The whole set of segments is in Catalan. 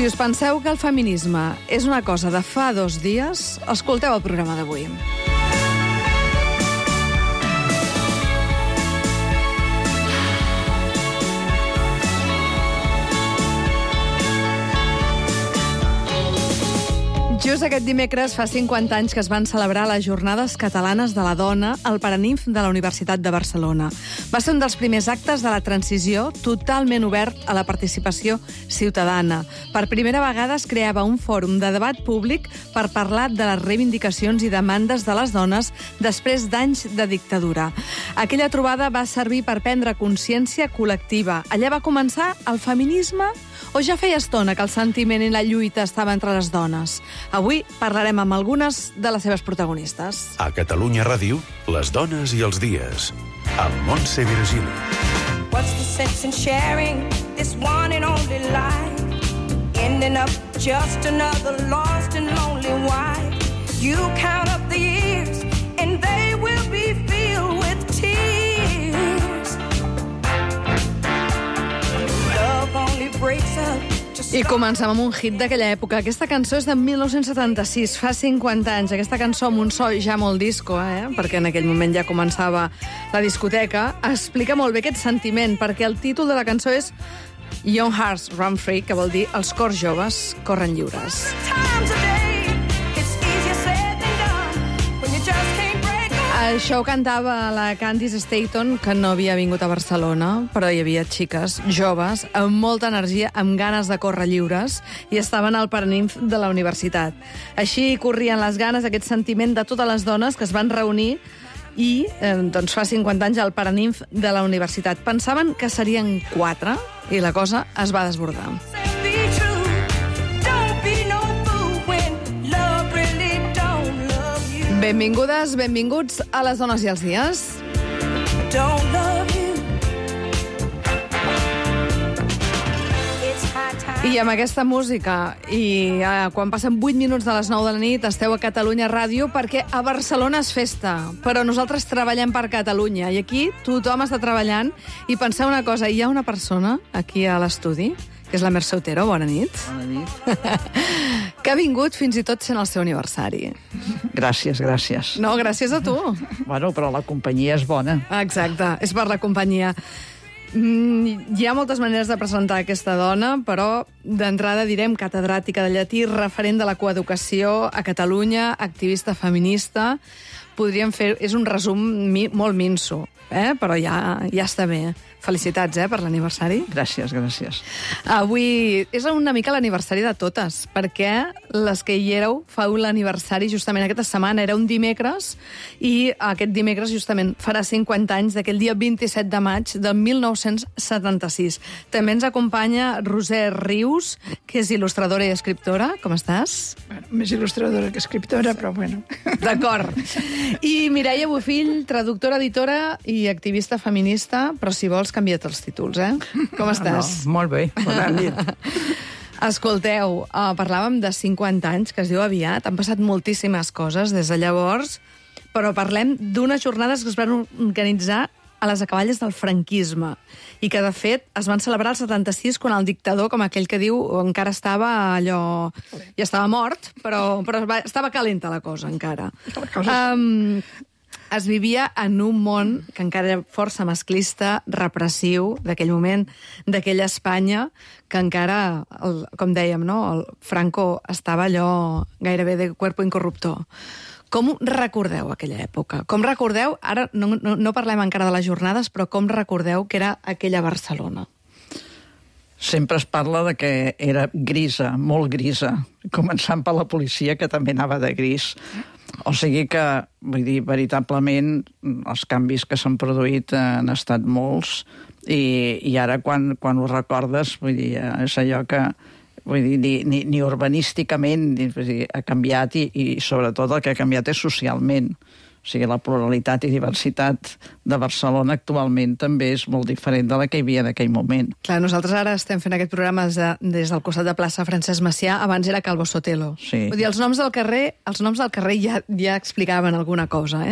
Si us penseu que el feminisme és una cosa de fa 2 dies, escolteu el programa d'avui. Just aquest dimecres fa 50 anys que es van celebrar les Jornades Catalanes de la Dona al Paraninf de la Universitat de Barcelona. Va ser un dels primers actes de la transició totalment obert a la participació ciutadana. Per primera vegada es creava un fòrum de debat públic per parlar de les reivindicacions i demandes de les dones després d'anys de dictadura. Aquella trobada va servir per prendre consciència col·lectiva. Allà va començar el feminisme o ja feia estona que el sentiment i la lluita estava entre les dones? Avui parlarem amb algunes de les seves protagonistes. A Catalunya Ràdio, les dones i els dies, amb Montse Virgili. What's the sense in sharing this one and only life? Ending up just another lost and lonely wife. You count up the years and they will be filled with tears. Love only breaks up. I comencem amb un hit d'aquella època. Aquesta cançó és de 1976, fa 50 anys. Aquesta cançó amb un so ja molt disco, perquè en aquell moment ja començava la discoteca. Explica molt bé aquest sentiment, perquè el títol de la cançó és Young Hearts Run Free, que vol dir els cors joves corren lliures. Això ho cantava la Candice Staton, que no havia vingut a Barcelona, però hi havia xiques joves amb molta energia, amb ganes de córrer lliures, i estaven al Paraninf de la universitat. Així corrien les ganes, aquest sentiment de totes les dones que es van reunir i doncs fa 50 anys al Paraninf de la universitat. Pensaven que serien 4 i la cosa es va desbordar. Benvingudes, benvinguts a les dones i els dies. I amb aquesta música, i quan passen 8 minuts de les 9 de la nit, esteu a Catalunya Ràdio, perquè a Barcelona és festa, però nosaltres treballem per Catalunya, i aquí tothom està treballant, i penseu una cosa, hi ha una persona aquí a l'estudi, que és la Mercè Otero, bona nit. Bona nit. Que ha vingut fins i tot sent el seu aniversari. Gràcies, gràcies. No, gràcies a tu. Bueno, però la companyia és bona. Exacte, és per la companyia. Hi ha moltes maneres de presentar aquesta dona, però d'entrada direm catedràtica de llatí, referent de la coeducació a Catalunya, activista feminista. Podríem fer... És un resum molt minso, però ja està bé. Felicitats, per l'aniversari. Gràcies, gràcies. Avui és una mica l'aniversari de totes, perquè les que hi éreu feu l'aniversari justament aquesta setmana, era un dimecres, i aquest dimecres justament farà 50 anys d'aquell dia 27 de maig del 1976. També ens acompanya Roser Rius, que és il·lustradora i escriptora. Com estàs? Bueno, més il·lustradora que escriptora, però bueno. D'acord. I Mireia Bofill, traductora, editora i activista feminista, però si vols canvia't els títols, Com estàs? No, molt bé, bona nit. Escolteu, parlàvem de 50 anys, que es diu aviat, han passat moltíssimes coses des de llavors, però parlem d'unes jornades que es van organitzar a les acaballes del franquisme i que, de fet, es van celebrar el 76 quan el dictador, com aquell que diu, encara estava allò... Ja estava mort, però estava calenta la cosa, encara. Es vivia en un món que encara era força masclista, repressiu, d'aquell moment, d'aquella Espanya, que encara, com dèiem, el Franco estava allò gairebé de cuerpo incorruptor. Com recordeu aquella època? Com recordeu, ara no parlem encara de les jornades, però com recordeu que era aquella Barcelona? Sempre es parla de que era grisa, molt grisa, començant per la policia, que també anava de gris. O sigui que, vull dir, veritablement, els canvis que s'han produït han estat molts, i ara, quan ho recordes, vull dir, és allò que... Vull dir, ni urbanísticament ha canviat, i sobretot el que ha canviat és socialment. O sigui, la pluralitat i diversitat de Barcelona actualment també és molt diferent de la que hi havia en aquell moment. Clar, nosaltres ara estem fent aquest programa des del costat de plaça Francesc Macià, abans era Calvo Sotelo. Sí. Vull dir, els noms del carrer ja explicaven alguna cosa,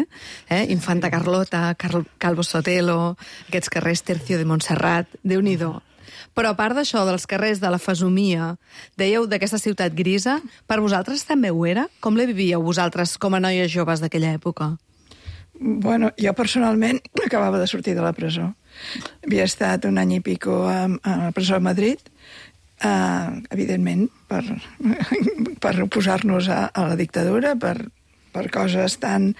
Infanta Carlota, Calvo Sotelo, aquests carrers Tercio de Montserrat, Déu-n'hi-do. Però a part d'això, dels carrers de la fesomia, dèieu d'aquesta ciutat grisa, per vosaltres també ho era? Com la vivíeu vosaltres com a noies joves d'aquella època? Bueno, jo personalment acabava de sortir de la presó. Havia estat un any i pico a la presó de Madrid, evidentment, per oposar-nos a la dictadura, per coses tan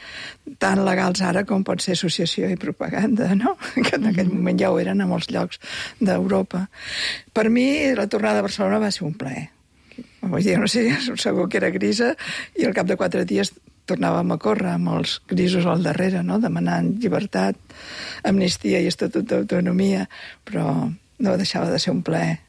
legals ara com pot ser associació i propaganda, no? Que en aquell moment ja ho eren a molts llocs d'Europa. Per mi, la tornada a Barcelona va ser un plaer. Vull dir, no sé, segur que era grisa, i al cap de 4 dies tornàvem a córrer amb els grisos al darrere, no? Demanant llibertat, amnistia i estatut d'autonomia, però no deixava de ser un plaer.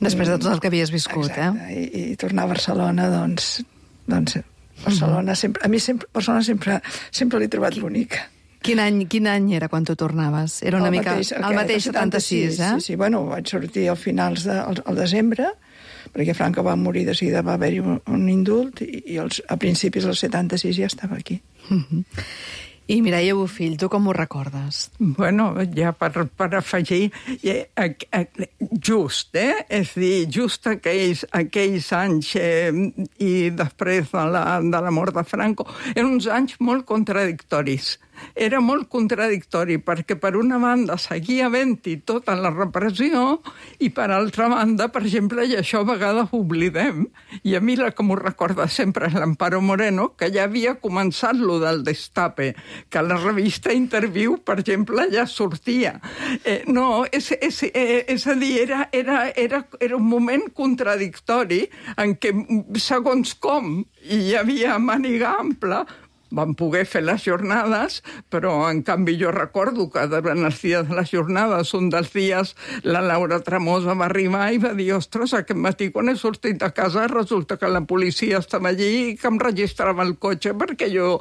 Després de tot el que havies viscut, exacte. I tornar a Barcelona, doncs Barcelona sempre, a mi Barcelona sempre l'he trobat l'única. Quin any era quan tu tornaves? Era una mica el mateix 76, eh? Sí, bueno, vaig sortir al finals al desembre, perquè Franco va morir, de seguida va haver-hi un indult, i a principis del 76 ja estava aquí. I Mireia Bofill, tu com ho recordes? Bueno, ja per afegir, just, és a dir, just aquells anys i després de la mort de Franco, eren uns anys molt contradictoris. Era molt contradictori, perquè per una banda seguia havent-hi tota la repressió i per altra banda, per exemple, i això a vegades ho oblidem, i a mi la que m'ho recorda sempre és l'Amparo Moreno, que ja havia començat lo del Destape, que a la revista Interview, per exemple, ja sortia. No, és a dir, era un moment contradictori en què, segons com, hi havia màniga ampla, van poder fer les jornades, però en canvi jo recordo que durant els dies de les jornades, un dels dies, la Laura Tremosa va arribar i va dir, ostres, aquest matí quan he sortit de casa resulta que la policia estava allí i que em registrava el cotxe perquè jo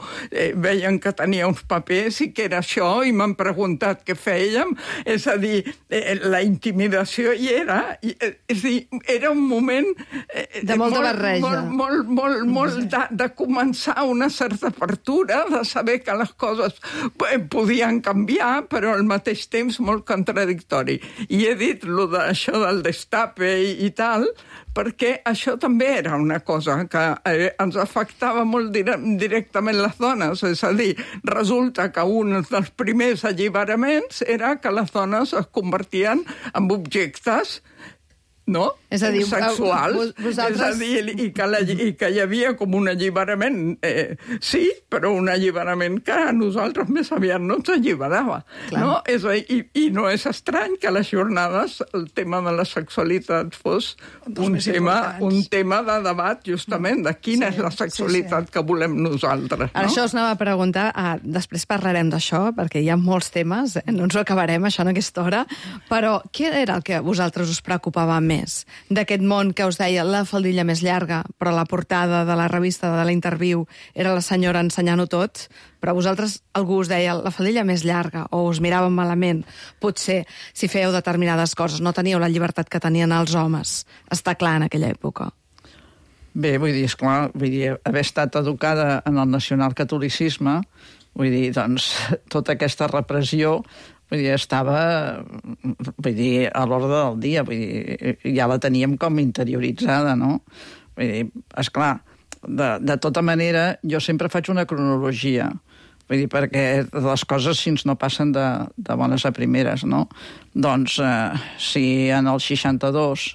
veien que tenia uns papers i que era això, i m'han preguntat què fèiem. És a dir, la intimidació hi era. És a dir, era un moment de molta barreja. Molt de començar una certa de saber que les coses podien canviar, però al mateix temps molt contradictori. I he dit això del Destape i tal, perquè això també era una cosa que ens afectava molt directament les dones. És a dir, resulta que un dels primers alliberaments era que les dones es convertien en objectes, no? És a dir, sexuals. vosaltres... És a dir, i que hi havia com un alliberament, sí, però un alliberament que a nosaltres més aviat no ens alliberava. No? I no és estrany que a les jornades el tema de la sexualitat fos un tema de debat, justament, de quina és la sexualitat que volem nosaltres. No? Això us anava a preguntar, després parlarem d'això, perquè hi ha molts temes, no ens ho acabarem, això en aquesta hora, però què era el que a vosaltres us preocupava més? D'aquest món que us deia la faldilla més llarga, però la portada de la revista de l'Interview era la senyora ensenyant-ho tot, però a vosaltres algú us deia la faldilla més llarga, o us miràvem malament, potser si fèieu determinades coses, no teníeu la llibertat que tenien els homes. Està clar en aquella època. Bé, vull dir, esclar, haver estat educada en el nacionalcatolicisme, vull dir, doncs, tota aquesta repressió estava a l'ordre del dia, ja la teníem com interioritzada, no? Vull dir, esclar, de tota manera, jo sempre faig una cronologia, vull dir, perquè les coses si no passen de bones a primeres, no? Doncs, si en el 62,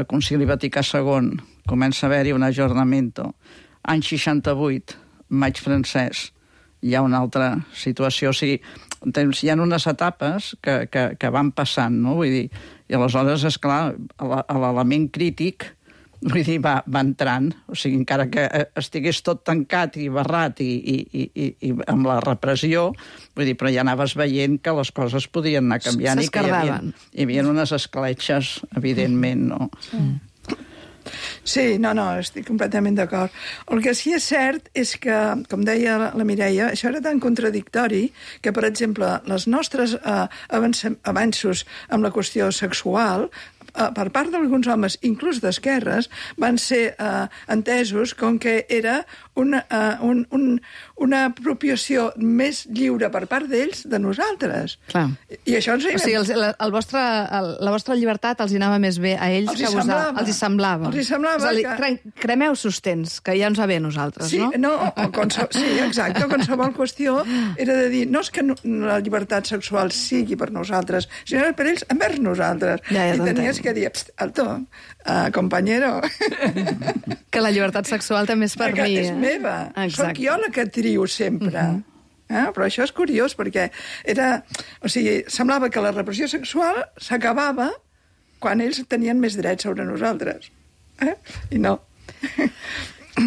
Concili Vaticà II, comença a haver-hi un ajornamento, any 68, maig francès, hi ha una altra situació, o sigui, hi ha unes etapes que van passant, no? Vull dir, i aleshores, esclar, l'element crític, vull dir, va entrant, o sigui, encara que estigués tot tancat i barrat i amb la repressió, vull dir, però ja anaves veient que les coses podien anar canviant i que hi havia unes escletxes, evidentment, no? Sí, no, estic completament d'acord. El que sí és cert és que, com deia la Mireia, això era tan contradictori que, per exemple, les nostres avanços amb la qüestió sexual per part d'alguns homes, inclús d'esquerres, van ser entesos com que era una apropiació més lliure per part d'ells de nosaltres. Clar. I això ens... O sigui, la vostra llibertat els anava més bé a ells que a vosaltres. Els hi semblava. Els hi semblava. Cremeu sostens, que ja ens va bé a nosaltres, sí, no? Sí, exacte. Qualsevol qüestió era de dir, no és que la llibertat sexual sigui per nosaltres, sinó per ells envers nosaltres. Ja I tenies que dir, alto, companyero. Que la llibertat sexual també és per mi. És meva. Soc jo la que trio sempre. Però això és curiós, perquè semblava que la repressió sexual s'acabava quan ells tenien més drets sobre nosaltres. I no.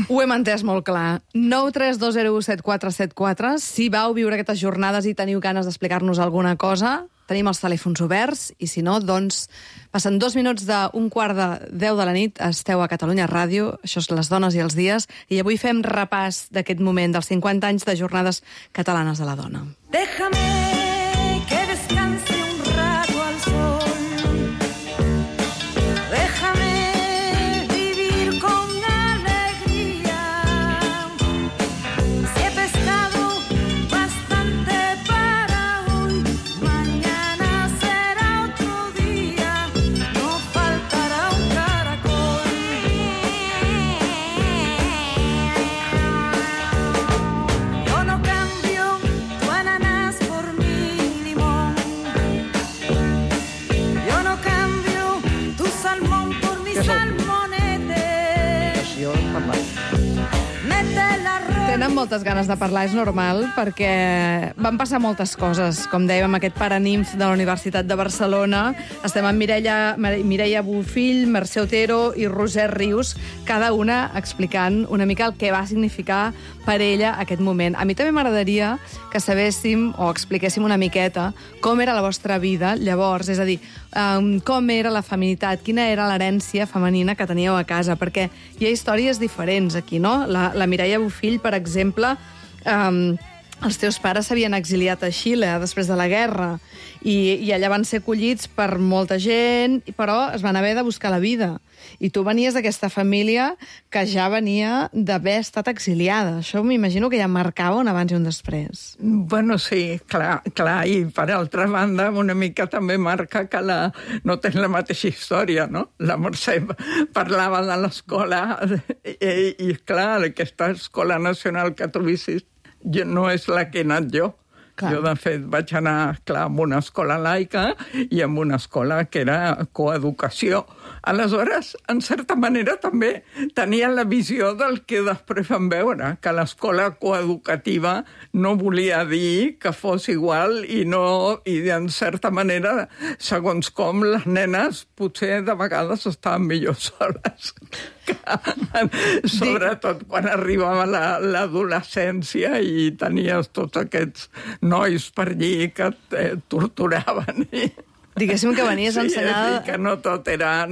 Ho hem entès molt clar. 932017474. Si vau viure aquestes jornades i teniu ganes d'explicar-nos alguna cosa, tenim els telèfons oberts, i si no, doncs, passen 2 minuts d'11:45 de la nit, esteu a Catalunya Ràdio, això és Les dones i els dies, i avui fem repàs d'aquest moment dels 50 anys de Jornades Catalanes de la Dona. Déjame que descanse un rato al sol. Déjame vivir con alegría. Si he pescado bastante para hoy, mañana será otro día. No faltará un caracol. Yo no cambio tu ananas por mi limón. Yo no cambio tu salmón por mi salmonete. Mete l'arròs. Tenen moltes ganes de parlar, és normal, perquè van passar moltes coses. Com dèiem, aquest paranimf de la Universitat de Barcelona. Estem amb Mireia Bofill, Mercè Otero i Roser Rius, cada una explicant una mica el que va significar per ella aquest moment. A mi també m'agradaria que sabéssim o expliquéssim una miqueta com era la vostra vida llavors, és a dir, com era la feminitat, quina era l'herència femenina que teníeu a casa, perquè hi ha històries diferents aquí, no? La Mireia Bofill, per exemple, els teus pares s'havien exiliat a Xile després de la guerra i allà van ser acollits per molta gent, però es van haver de buscar la vida. I tu venies d'aquesta família que ja venia d'haver estat exiliada. Això m'imagino que ja marcava un abans i un després. Bueno, sí, clar, i per altra banda una mica també marca que no tens la mateixa història, no? La Mercè parlava de l'escola i clar, aquesta escola nacional que tu vissis no és la que he anat jo. Clar. Jo, de fet, vaig anar, clar, a una escola laica i a una escola que era coeducació. Aleshores, en certa manera, també tenien la visió del que després van veure, que l'escola coeducativa no volia dir que fos igual i en certa manera, segons com, les nenes potser de vegades estaven millor soles. Sobretot quan arribava l'adolescència i tenies tots aquests nois per allí que et torturaven. Diguéssim que venies ensenyada... Sí, que no tot era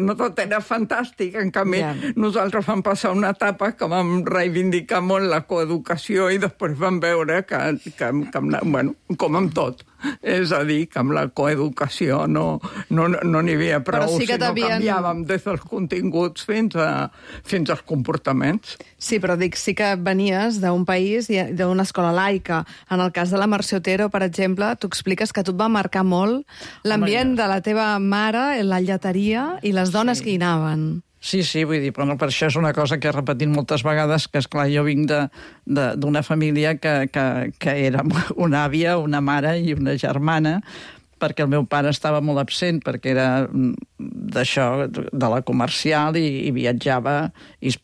fantàstic. En canvi, nosaltres vam passar una etapa que vam reivindicar molt la coeducació i després vam veure que bueno, com amb tot. És a dir, que amb la coeducació no n'hi havia prou, sí que sinó canviàvem des dels continguts fins als comportaments. Sí, però dic, sí que venies d'un país, d'una escola laica. En el cas de la Mercè Otero, per exemple, tu expliques que a tu et va marcar molt l'ambient de la teva mare, la lleteria i les dones que hi anaven. Sí, vull dir, però per això és una cosa que he repetit moltes vegades, que, esclar, jo vinc d'una família que era una àvia, una mare i una germana, perquè el meu pare estava molt absent, perquè era d'això, de la comercial, i viatjava i es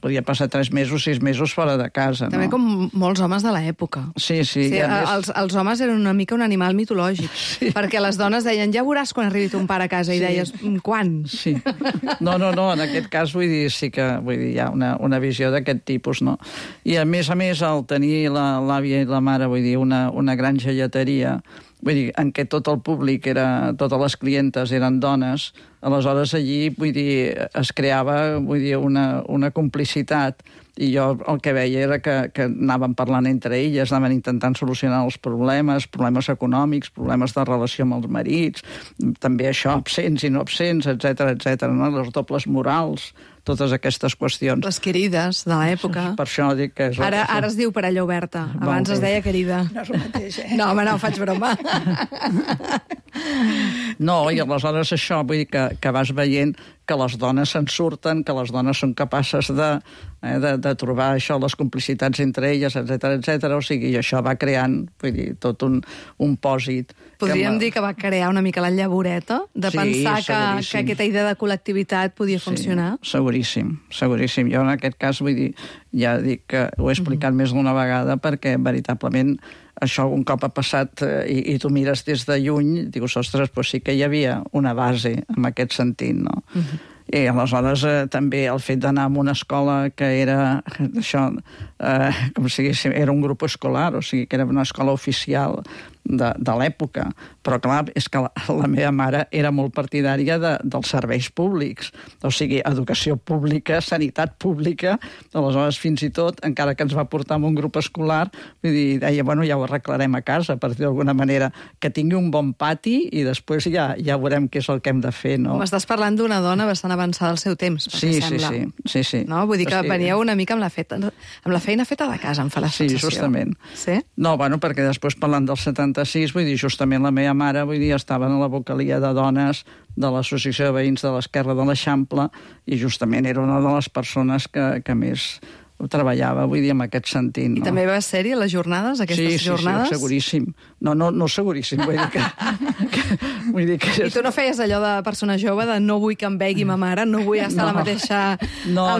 podia passar 3 mesos, 6 mesos fora de casa. També com molts homes de l'època. Sí. Els homes eren una mica un animal mitològic, perquè les dones deien, ja veuràs quan arribi ton pare a casa, i deies, quan? Sí. No, en aquest cas, vull dir, sí que hi ha una visió d'aquest tipus, no? I a més, al tenir l'àvia i la mara, vull dir, una granja lleteria, vull dir, en què tot el públic totes les clientes eren dones, aleshores allí, vull dir, es creava, vull dir, una complicitat, i jo el que veia era que anaven parlant entre elles, anaven intentant solucionar els problemes econòmics, problemes de relació amb els marits, també això, absents i no absents, etc, no? Les dobles morals, totes aquestes qüestions. Les querides de l'època. Per això dic que és... Ara es diu parella oberta. Abans es deia querida. No és el mateix, No, home, no, faig broma. No, i aleshores això, vull dir que vas veient que les dones se'n surten, que les dones són capaces de trobar això, les complicitats entre elles, etc. O sigui, i això va creant, vull dir, tot un pòsit. Podríem dir que va crear una mica la llavoreta de pensar que aquesta idea de col·lectivitat podia funcionar? Sí, seguríssim. Jo en aquest cas, vull dir, ja dic que ho he explicat més d'una vegada perquè veritablement això un cop ha passat i tu mires des de lluny, dius, ostres, doncs sí que hi havia una base en aquest sentit, no? I aleshores també el fet d'anar a una escola que era això, com si diguéssim, era un grup escolar, o sigui que era una escola oficial de l'època, però clar, és que la meva mare era molt partidària dels serveis públics, o sigui, educació pública, sanitat pública, aleshores fins i tot, encara que ens va portar amb un grup escolar, vull dir, deia, bueno, ja ho arreglarem a casa, per dir d'alguna manera, que tingui un bon pati i després ja veurem què és el que hem de fer, no? M'estàs parlant d'una dona bastant avançada al seu temps, pel que sembla. Sí. No? Vull dir que veníeu una mica amb la feina feta de casa, em fa la sensació. Sí, justament. Sí? No, bueno, perquè després parlant del 76, vull dir, justament la meva mare, vull dir, estava en la vocalia de dones de l'Associació de Veïns de l'Esquerra de l'Eixample i justament era una de les persones que més treballava, vull dir, en aquest sentit. No? I també va ser-hi a les jornades, aquestes jornades? Sí, seguríssim. No seguríssim, vull dir que... I tu no feies allò de persona jove, de no vull que em vegui ma mare, no vull estar al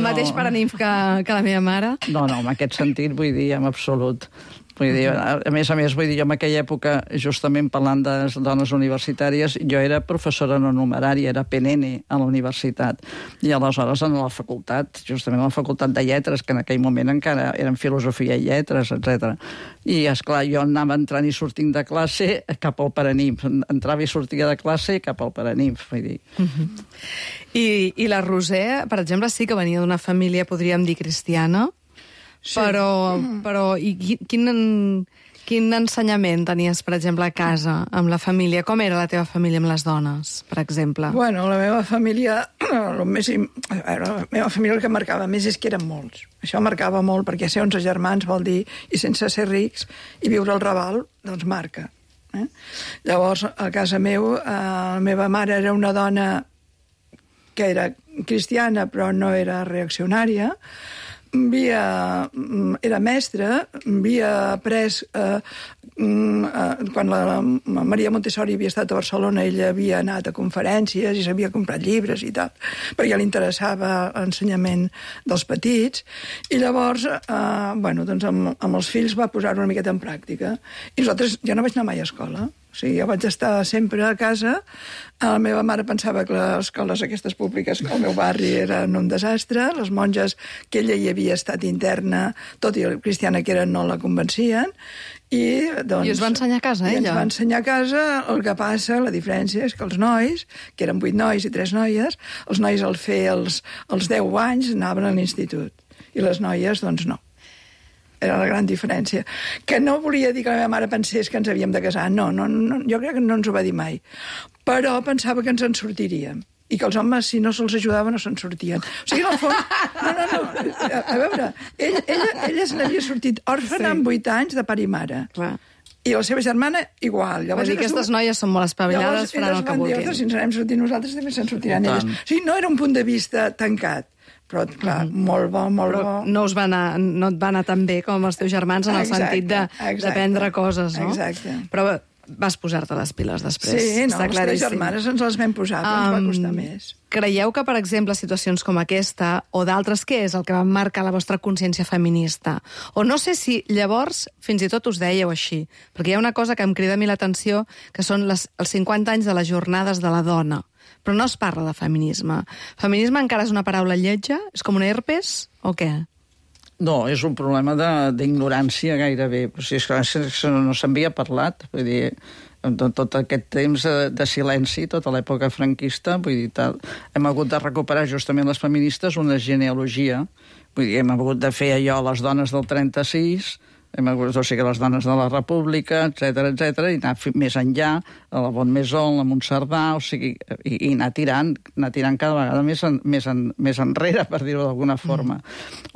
mateix paranimf que la meva mare? No, en aquest sentit, vull dir, en absolut. Vull dir, a més, vull dir, jo en aquella època, justament parlant de dones universitàries, jo era professora no numerària, era PNN a la universitat. I aleshores en la facultat, justament a la facultat de lletres, que en aquell moment encara eren filosofia i lletres, etc. I, esclar, jo anava entrant i sortint de classe cap al paranimf. Entrava i sortia de classe cap al paranimf, vull dir. I la Roser, per exemple, sí que venia d'una família, podríem dir, cristiana, sí. Però i quin ensenyament tenies, per exemple, a casa, amb la família? Com era la teva família amb les dones, per exemple? Bueno, la meva família, la meva família el que marcava més és que eren molts. Això marcava molt, perquè ser 11 germans vol dir, i sense ser rics, i viure al Raval, doncs marca. Llavors, a casa meu, la meva mare era una dona que era cristiana, però no era reaccionària, era mestra, havia après quan la Maria Montessori havia estat a Barcelona, ella havia anat a conferències i s'havia comprat llibres i tal, perquè li interessava l'ensenyament dels petits, i llavors doncs amb els fills va posar-ho una miqueta en pràctica, i nosaltres, jo no vaig anar mai a escola. O sigui, jo vaig estar sempre a casa. La meva mare pensava que les escoles aquestes públiques al meu barri eren un desastre. Les monges, que ella hi havia estat interna, tot i el cristiana que era, no la convencien. I us va ensenyar a casa, ella? I ens va ensenyar a casa. El que passa, la diferència és que els nois, que eren 8 nois i 3 noies, els nois al fer els 10 anys anaven a l'institut. I les noies, doncs, no. Era la gran diferència. Que no volia dir que la meva mare pensés que ens havíem de casar. No, jo crec que no ens ho va dir mai. Però pensava que ens en sortiríem. I que els homes, si no se'ls ajudava, no se'n sortien. O sigui, en el fons... No. A veure, ella se n'havia sortit òrfana amb 8 anys de pare i mare. Clar. I la seva germana, igual. Llavors, aquestes noies són molt espavilades, faran el que vulguin. Llavors, si ens anem sortint nosaltres, també se'n sortiran elles. O sigui, no era un punt de vista tancat. Però, clar, molt bo. No et va anar tan bé com els teus germans en el sentit d'aprendre coses, no? Exacte. Però vas posar-te les piles després. Sí, no, les 3 germanes ens les vam posar, però ens va costar més. Creieu que, per exemple, situacions com aquesta, o d'altres, què és el que va marcar la vostra consciència feminista? O no sé si llavors fins i tot us dèieu així, perquè hi ha una cosa que em crida a mi l'atenció, que són els 50 anys de les jornades de la dona. Però no es parla de feminisme. Feminisme encara és una paraula lletja? És com un herpes? O què? No, és un problema d'ignorància gairebé. O sigui, és que no s'havia parlat. Vull dir, tot aquest temps de silenci, tota l'època franquista, vull dir, hem hagut de recuperar justament les feministes una genealogia, vull dir, hem hagut de fer allò a les dones del 36, o sigui, les dones de la República, etc, i anar més enllà, a la Bonmaison, la Montserdà, o sigui, i anar tirant cada vegada més enrere, per dir-ho d'alguna forma.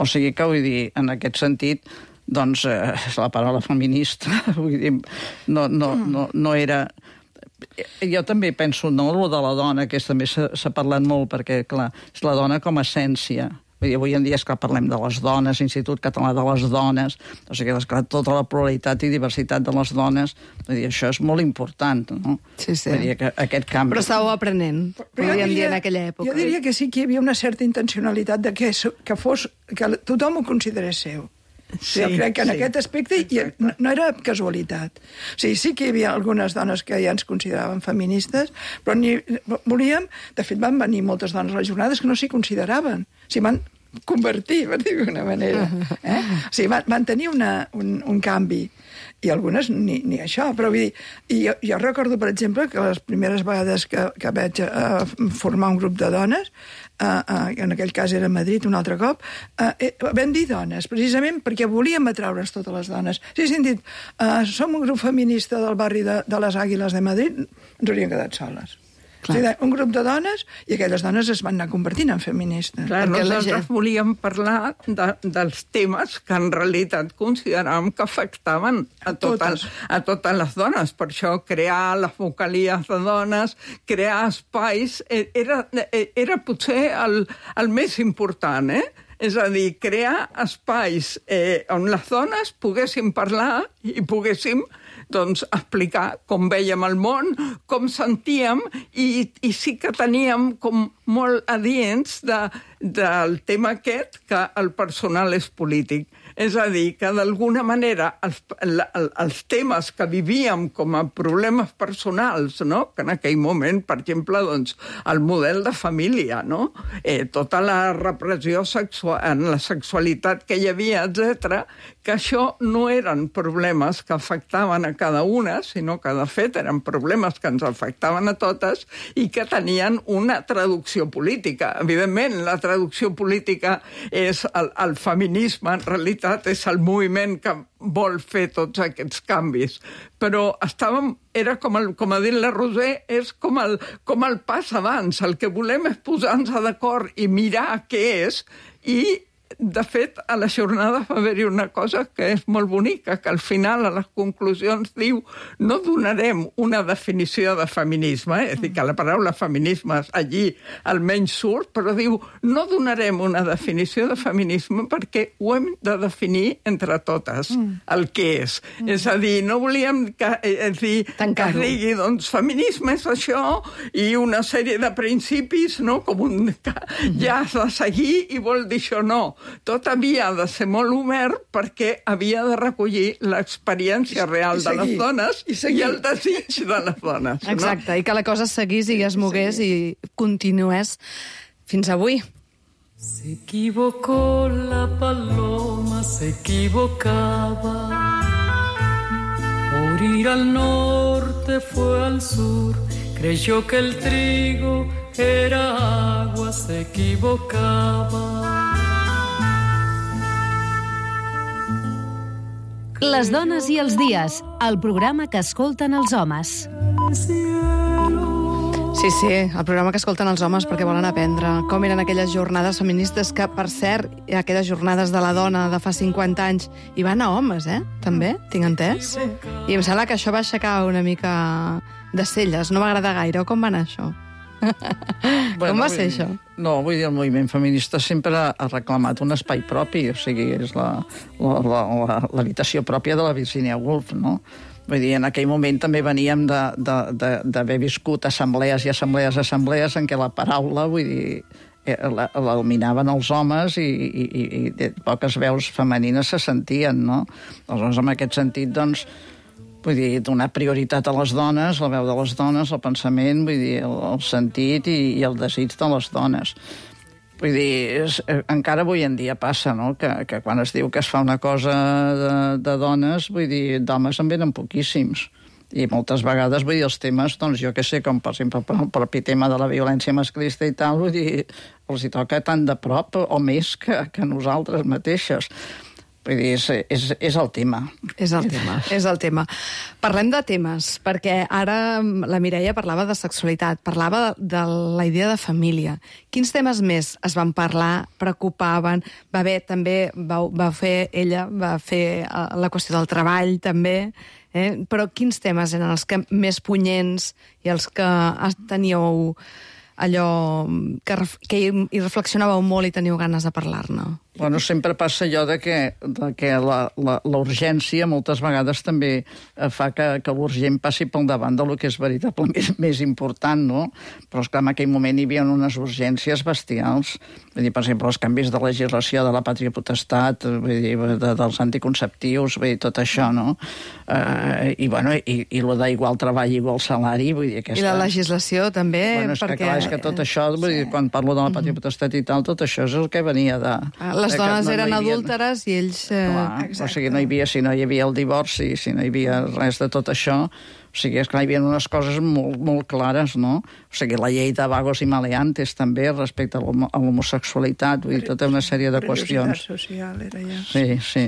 O sigui que, vull dir, en aquest sentit, doncs, la paraula feminista, vull dir, no era... Jo també penso, no, lo de la dona, que també s'ha parlat molt, perquè, clar, és la dona com a essència. Avui en dia, esclar, parlem de les dones, Institut Català de les Dones, o sigui, esclar, tota la pluralitat i diversitat de les dones, vull dir, això és molt important, no? Sí. Vull dir, que aquest canvi... Però estàveu aprenent, podríem dir, en aquella època. Jo diria que sí que hi havia una certa intencionalitat de que tothom ho considerés seu. Sí, jo crec que en aquest aspecte no era casualitat. O sigui, sí que hi havia algunes dones que ja ens consideraven feministes, però volíem... De fet, van venir moltes dones a les jornades que no s'hi consideraven. O sigui, van convertir, per dir-ho d'una manera. O sigui, van tenir un canvi. I algunes ni això, però vull dir... Jo recordo, per exemple, que les primeres vegades que vaig formar un grup de dones, en aquell cas era a Madrid un altre cop, vam dir dones, precisament perquè volíem atraure's totes les dones. Si haguéssim dit, som un grup feminista del barri de les Àguiles de Madrid, ens hauríem quedat soles. O sigui, un grup de dones, i aquelles dones es van anar convertint en feministes. Clar, nosaltres volíem parlar dels temes que en realitat consideràvem que afectaven a totes les dones. Per això crear les vocalies de dones, crear espais, era potser el més important, És a dir, crear espais on les dones poguéssim parlar i poguéssim explicar com vèiem el món, com sentíem, i sí que teníem com molt adients del tema aquest que el personal és polític. És a dir, que d'alguna manera els temes que vivíem com a problemes personals, no? Que en aquell moment, per exemple, el model de família, no? Tota la repressió en la sexualitat que hi havia, etc., que això no eren problemes que afectaven a cada una, sinó que, de fet, eren problemes que ens afectaven a totes i que tenien una traducció política. Evidentment, la traducció política és el feminisme, en realitat, és el moviment que vol fer tots aquests canvis. Però era com ha dit la Roser, és com el pas abans. El que volem és posar-nos d'acord i mirar què és, i de fet, a la jornada va haver-hi una cosa que és molt bonica, que al final, a les conclusions, diu no donarem una definició de feminisme, és a dir, que la paraula feminisme allí almenys surt, però diu no donarem una definició de feminisme perquè ho hem de definir entre totes, el que és. És a dir, no volíem que es digui, doncs, feminisme és això, i una sèrie de principis, no?, com que ja has de seguir i vol dir això, no. Tot havia de ser molt obert perquè havia de recollir l'experiència real de les dones i el desig de les dones. Exacte, i que la cosa seguís i es mogués i continués fins avui. Se equivocó la paloma, se equivocaba. Por ir al norte fue al sur, creyó que el trigo era agua, se equivocaba. Les dones i els dies, el programa que escolten els homes. Sí, el programa que escolten els homes perquè volen aprendre com eren aquelles jornades feministes que, per cert, aquelles jornades de la dona de fa 50 anys, hi van a homes, també, tinc entès? Sí. I em sembla que això va aixecar una mica de celles, no m'agrada gaire. Com va anar això? Com va ser això? No, vull dir, el moviment feminista sempre ha reclamat un espai propi, o sigui, és l'habitació pròpia de la Virginia Woolf, no? Vull dir, en aquell moment també veníem d'haver viscut assemblees i assemblees en què la paraula, vull dir, la dominaven els homes i poques veus femenines se sentien, no? Aleshores, en aquest sentit, doncs, vull dir, donar prioritat a les dones, la veu de les dones, el pensament, vull dir, el sentit i el desig de les dones. Vull dir, encara avui en dia passa, no?, que quan es diu que es fa una cosa de dones, vull dir, d'homes en venen poquíssims. I moltes vegades, vull dir, els temes, doncs jo que sé, com per exemple el propi tema de la violència masclista i tal, vull dir, els hi toca tan de prop o més que nosaltres mateixes. Vull dir, és el tema. És el tema. Parlem de temes, perquè ara la Mireia parlava de sexualitat, parlava de la idea de família. Quins temes més es van parlar, preocupaven? Va fer la qüestió del treball, també, però quins temes eren els que més punyents i els que teníeu allò que hi reflexionàveu molt i teniu ganes de parlar-ne? Bueno, sempre passa allò de que la urgència moltes vegades també fa que l'urgent passi pel davant del que és veritablement més important, no? Però, esclar, en aquell moment hi havia unes urgències bestials. Vull dir, per exemple, els canvis de legislació de la pàtria potestat, vull dir, dels anticonceptius, vull dir, tot això, no? I el d'igual treball, igual salari, vull dir, aquesta... I la legislació, també, bueno, és perquè... Clar, és que tot això, vull dir, quan parlo de la pàtria potestat i tal, tot això és el que venia de... Les dones eren adúlteres i ells... O sigui, si no hi havia el divorci, si no hi havia res de tot això, o sigui, és que hi havia unes coses molt, molt clares, no? O sigui, la llei de vagos i maleantes també respecte a l'homosexualitat, vull dir, tota una sèrie de qüestions. Perillositat social era ja. Sí.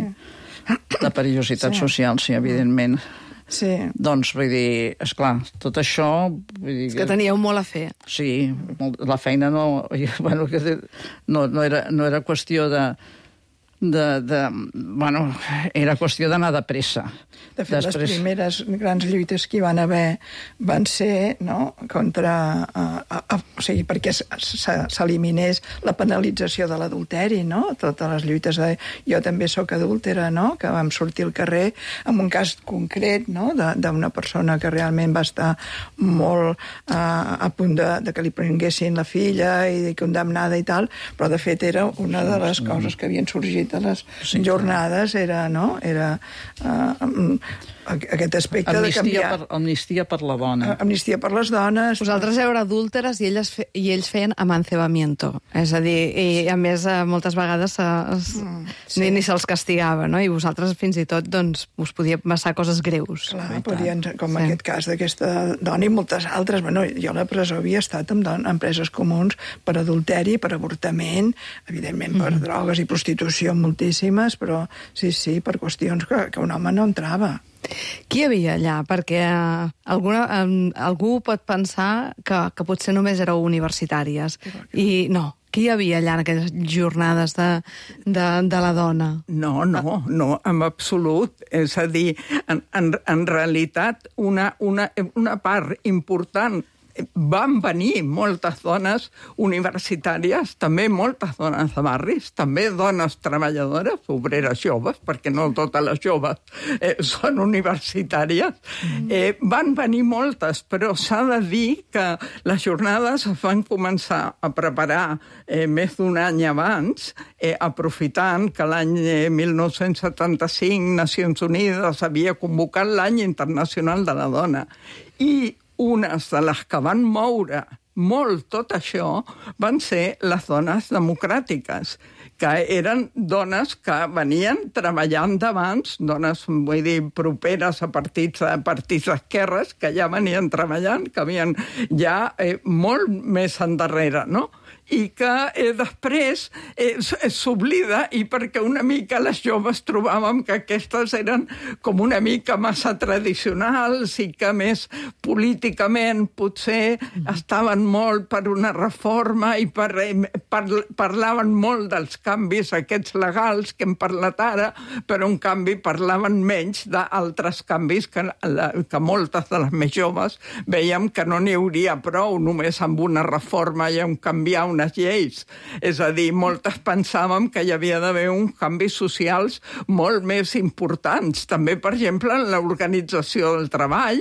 La perillositat social, sí, evidentment. Sí. Doncs, vull dir, esclar, tot això... Vull dir, és que teníeu molt a fer. Sí, la feina no era qüestió era qüestió d'anar de pressa. De fet, les primeres grans lluites que hi van haver van ser, no?, contra... o sigui, perquè s'eliminés la penalització de l'adulteri, no? Totes les lluites de jo també sóc adúltera, no?, que vam sortir al carrer amb un cas concret, no?, d'una persona que realment va estar molt a punt de que li prenguessin la filla i condemnada i tal, però de fet era una de les coses que havien sorgit a les jornades, era, no?, era aquest aspecte de canviar... Amnistia per la dona. Amnistia per les dones. Vosaltres éreu adúlteres i ells feien amancebamiento. És a dir, i a més moltes vegades ni se'ls castigava, no? I vosaltres fins i tot doncs, us podia passar coses greus. Clar, podien, com aquest cas d'aquesta dona i moltes altres. Bueno, jo a la presó havia estat en preses comuns per adulteri, per avortament, evidentment per drogues i prostitució moltíssimes, però sí, per qüestions que un home no entrava. Qui hi havia allà? Perquè algú pot pensar que potser només éreu universitàries. I no, qui hi havia allà en aquelles jornades de la dona? No, en absolut. És a dir, en realitat, una part important van venir moltes dones universitàries, també moltes dones de barris, també dones treballadores, obreres joves, perquè no totes les joves són universitàries. Van venir moltes, però s'ha de dir que les jornades es van començar a preparar més d'un any abans, aprofitant que l'any 1975 Nacions Unides havia convocat l'any internacional de la dona. I unes de les que van moure molt tot això van ser les dones democràtiques, que eren dones que venien treballant d'abans, dones, vull dir, properes a partits d'esquerres, que ja venien treballant, que havien ja molt més endarrere, no? I que després s'oblida, i perquè una mica les joves trobàvem que aquestes eren com una mica massa tradicionals i que més políticament potser estaven molt per una reforma i parlaven molt dels canvis aquests legals que hem parlat ara, però en canvi parlaven menys d'altres canvis que moltes de les més joves veiem que no n'hi hauria prou només amb una reforma i amb canviar unes lleis. És a dir, moltes pensàvem que hi havia d'haver uns canvis socials molt més importants. També, per exemple, en l'organització del treball,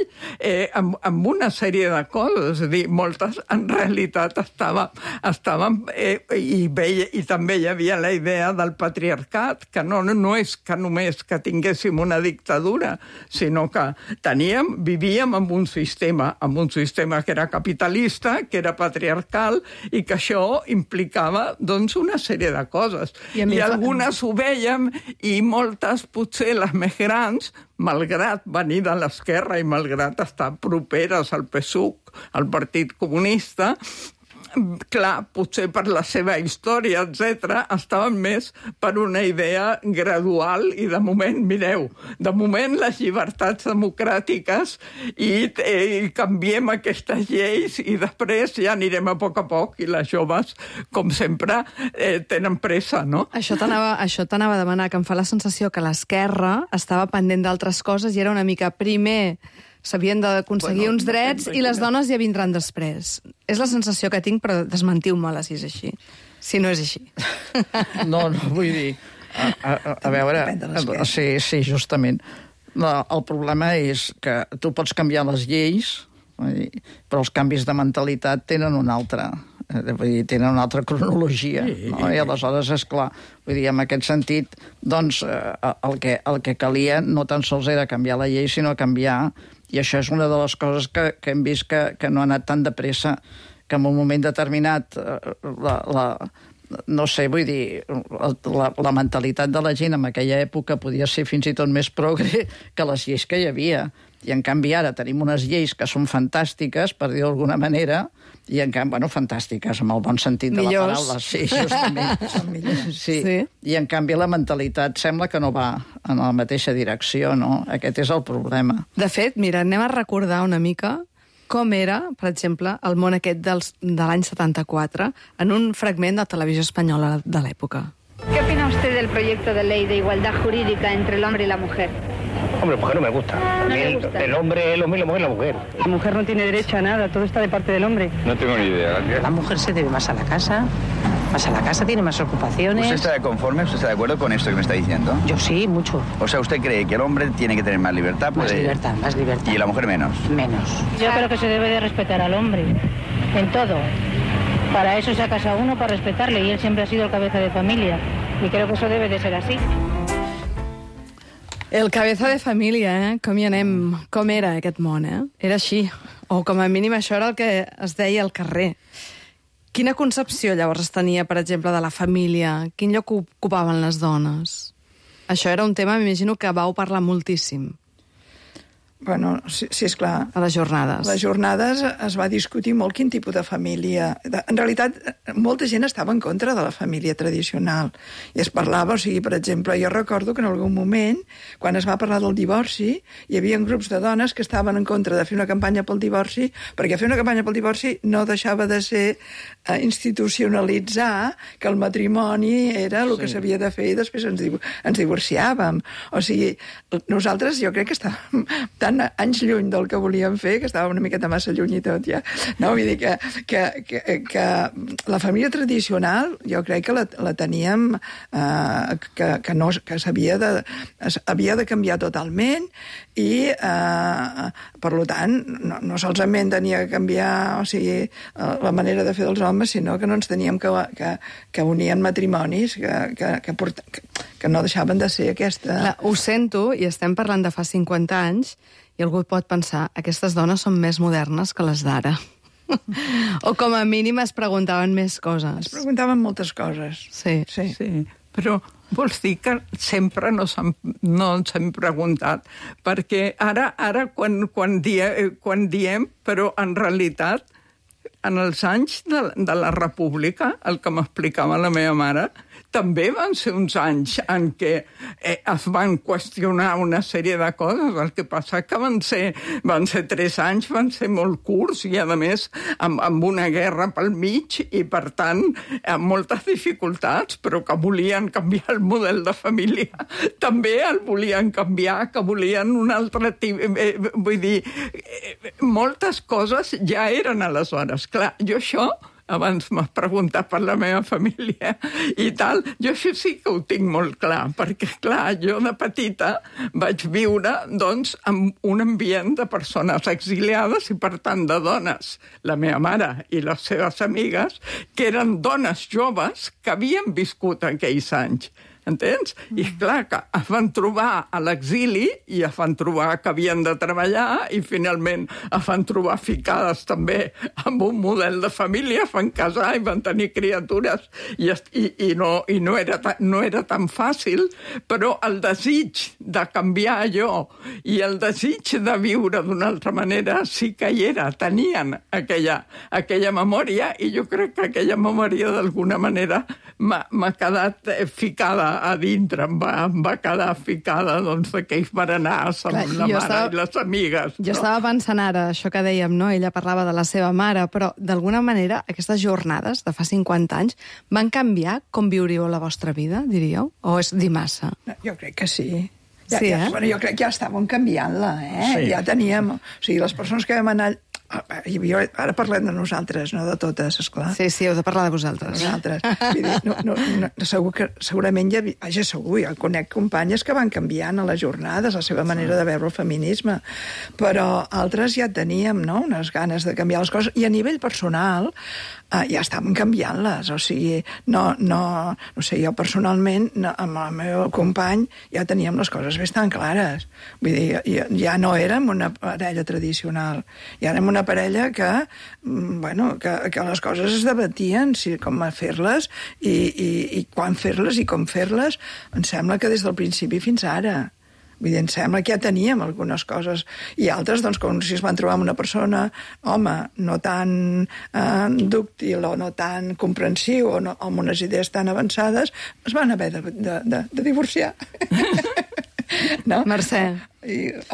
amb una sèrie de coses. És a dir, moltes en realitat estaven i també hi havia la idea del patriarcat, que no és que només que tinguéssim una dictadura, sinó que vivíem en un sistema que era capitalista, que era patriarcal, i que això això implicava, doncs, una sèrie de coses. I algunes ho vèiem, i moltes, potser les més grans, malgrat venir de l'esquerra i malgrat estar properes al PSUC, al Partit Comunista, clar, potser per la seva història, etc., estaven més per una idea gradual i de moment, mireu, de moment les llibertats democràtiques i canviem aquestes lleis i després ja anirem a poc i les joves, com sempre, tenen pressa, no? Això t'anava a demanar, que em fa la sensació que l'esquerra estava pendent d'altres coses i era una mica primer s'havien d'aconseguir uns drets i les dones ja vindran després. És la sensació que tinc, però desmentiu-me-la si és així. Si no és així. No, vull dir... A veure... Sí, justament. No, el problema és que tu pots canviar les lleis, però els canvis de mentalitat tenen una altra. Tenen una altra cronologia, no? I aleshores, esclar, vull dir, en aquest sentit, doncs, el que calia no tan sols era canviar la llei, sinó canviar, i això és una de les coses que hem vist que no ha anat tan de pressa, que en un moment determinat no sé, vull dir, la mentalitat de la gent en aquella època podia ser fins i tot més progre que les lleis que hi havia. I en canvi ara tenim unes lleis que són fantàstiques, per dir d'alguna manera, i en canvi, bueno, fantàstiques, amb el bon sentit de la paraula. Sí, justament. Són millors. Sí. I en canvi la mentalitat sembla que no va en la mateixa direcció, no? Aquest és el problema. De fet, mira, anem a recordar una mica com era, per exemple, el món aquest de l'any 74 en un fragment de Televisió Espanyola de l'època. ¿Qué opina usted del proyecto de ley de igualdad jurídica entre el hombre y la mujer? Hombre, mujer no me gusta. ¿No le gusta? El hombre es lo mismo, la mujer es la mujer. La mujer no tiene derecho a nada, todo está de parte del hombre. No tengo ni idea. La mujer se debe más a la casa, tiene más ocupaciones. ¿Usted está conforme? ¿Usted está de acuerdo con esto que me está diciendo? Yo sí, mucho. O sea, ¿usted cree que el hombre tiene que tener más libertad? Más libertad. ¿Y la mujer menos? Menos. Yo creo que se debe de respetar al hombre, en todo. Para eso se ha casado uno, para respetarle, y él siempre ha sido el cabeza de familia. Y creo que eso debe de ser así. El cabeza de família, com hi anem? Com era aquest món, Era així. O com a mínim això era el que es deia al carrer. Quina concepció llavors es tenia, per exemple, de la família? Quin lloc ocupaven les dones? Això era un tema, m'imagino, que vau parlar moltíssim. Bueno, sí, esclar. A les jornades. A les jornades es va discutir molt quin tipus de família. En realitat, molta gent estava en contra de la família tradicional. I es parlava, o sigui, per exemple, jo recordo que en algun moment, quan es va parlar del divorci, hi havia grups de dones que estaven en contra de fer una campanya pel divorci, perquè fer una campanya pel divorci no deixava de ser institucionalitzar que el matrimoni era el que s'havia de fer i després ens divorciàvem. O sigui, nosaltres jo crec que estàvem tan anys lluny del que volíem fer, que estava una miqueta massa lluny i tot, ja. No, vull dir que la família tradicional jo crec que la teníem que havia de canviar totalment i, per tant, no solament tenia que canviar, o sigui, la manera de fer dels homes, sinó que no ens teníem que unir en matrimonis que no deixaven de ser aquesta... Clar, ho sento, i estem parlant de fa 50 anys, i algú pot pensar, aquestes dones són més modernes que les d'ara. O com a mínim es preguntaven més coses. Es preguntaven moltes coses. Sí. Però vols dir que sempre no ens hem preguntat, perquè ara quan diem, però en realitat, en els anys de la República, el que m'explicava la meva mare, també van ser uns anys en què es van qüestionar una sèrie de coses. El que passa que van ser 3 anys, van ser molt curts i, a més, amb una guerra pel mig i, per tant, amb moltes dificultats, però que volien canviar el model de família. També el volien canviar, que volien un altre tipus... Vull dir, moltes coses ja eren aleshores. Clar, jo això... Abans m'has preguntat per la meva família i tal. Jo això sí que ho tinc molt clar, perquè, clar, jo de petita vaig viure, doncs, en un ambient de persones exiliades i, per tant, de dones, la meva mare i les seves amigues, que eren dones joves que havien viscut aquells anys. entens? I clar, que es van trobar a l'exili i es van trobar que havien de treballar i finalment es van trobar ficades també amb un model de família, es van casar i van tenir criatures i no era tan fàcil, però el desig de canviar allò i el desig de viure d'una altra manera sí que hi era, tenien aquella memòria i jo crec que aquella memòria d'alguna manera m'ha quedat ficada a dintre, em va quedar ficada d'aquells berenars amb la mare i les amigues. Jo estava pensant ara, això que dèiem, no? Ella parlava de la seva mare, però d'alguna manera aquestes jornades de fa 50 anys van canviar com viuríeu la vostra vida, diríeu? O és dir massa? Jo crec que sí. Bueno, jo crec que ja estàvem canviant-la, Sí. Ja teníem... O sigui, les persones que vam anar... Ara parlem de nosaltres, no de totes, esclar. Sí, heu de parlar de vosaltres. Segurament ja conec companyes que van canviant a les jornades la seva manera de veure el feminisme, però altres ja teníem, no?, unes ganes de canviar les coses, i a nivell personal ja estàvem canviant-les, o sigui, no sé, jo personalment amb el meu company ja teníem les coses bastant clares, vull dir, ja no érem una parella tradicional, ja érem una parella que les coses es debatien, com fer-les i quan fer-les i com fer-les, em sembla que des del principi fins ara. Vull dir, em sembla que ja teníem algunes coses. I altres, doncs, com si es van trobar amb una persona, home, no tan dúctil o no tan comprensiu o amb unes idees tan avançades, es van haver de divorciar. No? Mercè.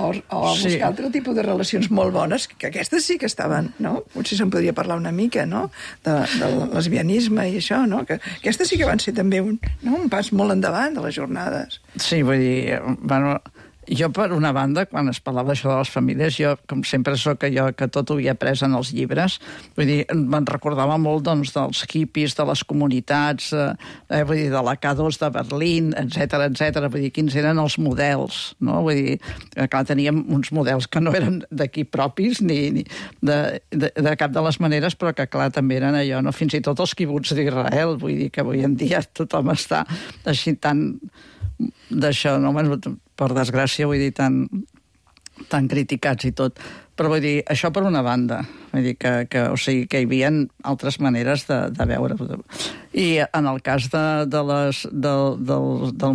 O buscar altre tipus de relacions molt bones, que aquestes sí que estaven, no? Potser se'n podria parlar una mica, no?, del lesbianisme i això, no? Que aquestes sí que van ser també un pas molt endavant de les jornades. Sí, vull dir, bueno, jo per una banda, quan es parlava d'això de les famílies, jo, com sempre sóc jo que tot ho havia après en els llibres, vull dir, me'n recordava molt, doncs, dels hippies, de les comunitats, vull dir, de la K2 de Berlín, etc. Vull dir, quins eren els models, no? Vull dir, clar, teníem uns models que no eren d'aquí propis, ni de cap de les maneres, però que, clar, també eren allò, no? Fins i tot els quibuts d'Israel, vull dir, que avui en dia tothom està així tan d'això, no? Per desgràcia, vull dir, tan criticats i tot. Però vull dir, això per una banda. Vull dir que hi havia altres maneres de veure. I en el cas del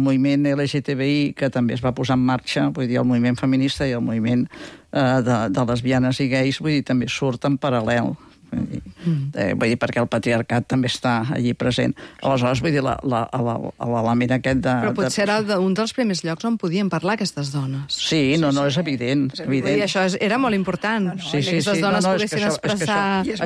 moviment LGTBI, que també es va posar en marxa, vull dir, el moviment feminista i el moviment de lesbianes i gais, vull dir, també surt en paral·lel. Vull dir, perquè el patriarcat també està allí present. Aleshores, vull dir, l'element aquest de... Però potser era un dels primers llocs on podien parlar aquestes dones. Sí, no, és evident. Vull dir, això era molt important. Aquestes dones poguessin expressar... I es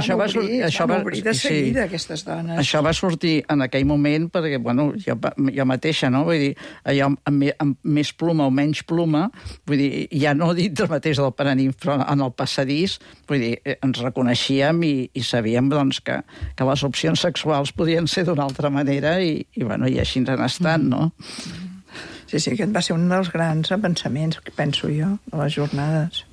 van obrir de seguida, aquestes dones. Això va sortir en aquell moment perquè, bueno, jo mateixa, no? Vull dir, allò amb més pluma o menys pluma, vull dir, ja no dintre mateix del Paraninf, però en el passadís, vull dir, ens reconeixíem i sabíem, doncs, que les opcions sexuals podien ser d'una altra manera i així ens han estat, no? Sí, aquest va ser un dels grans pensaments, penso jo, de les jornades.